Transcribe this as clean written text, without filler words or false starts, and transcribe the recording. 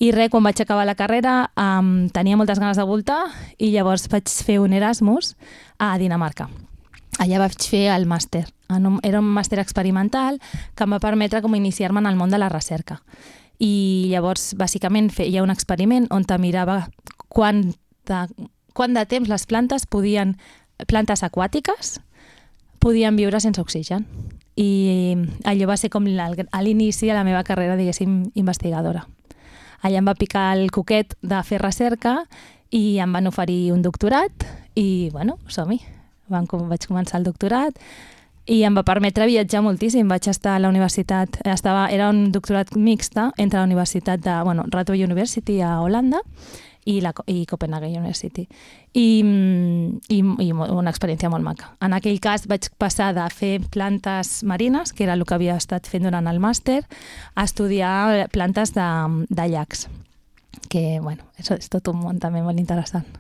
I res, quan vaig acabar la carrera tenia moltes ganes de voltar i llavors vaig fer un Erasmus a Dinamarca. Allà vaig fer el màster. Era un màster experimental que em va permetre com iniciar-me en el món de la recerca. I llavors, bàsicament, feia un experiment on te mirava quant de temps les plantes aquàtiques podien viure sense oxigen. I allò va ser com l'inici de la meva carrera, diguéssim, investigadora. Allà em va picar el coquet de fer recerca i em van oferir un doctorat i, bueno, som-hi. Vaig començar el doctorat i em va permetre viatjar moltíssim. Vaig estar a la universitat, era un doctorat mixta entre la universitat de Radboud University a Holanda i Copenhagen University. I una experiència molt maca. En aquell cas vaig passar de fer plantes marines, que era el que havia estat fent durant el màster, a estudiar plantes de llacs, que és tot un món també molt interessant.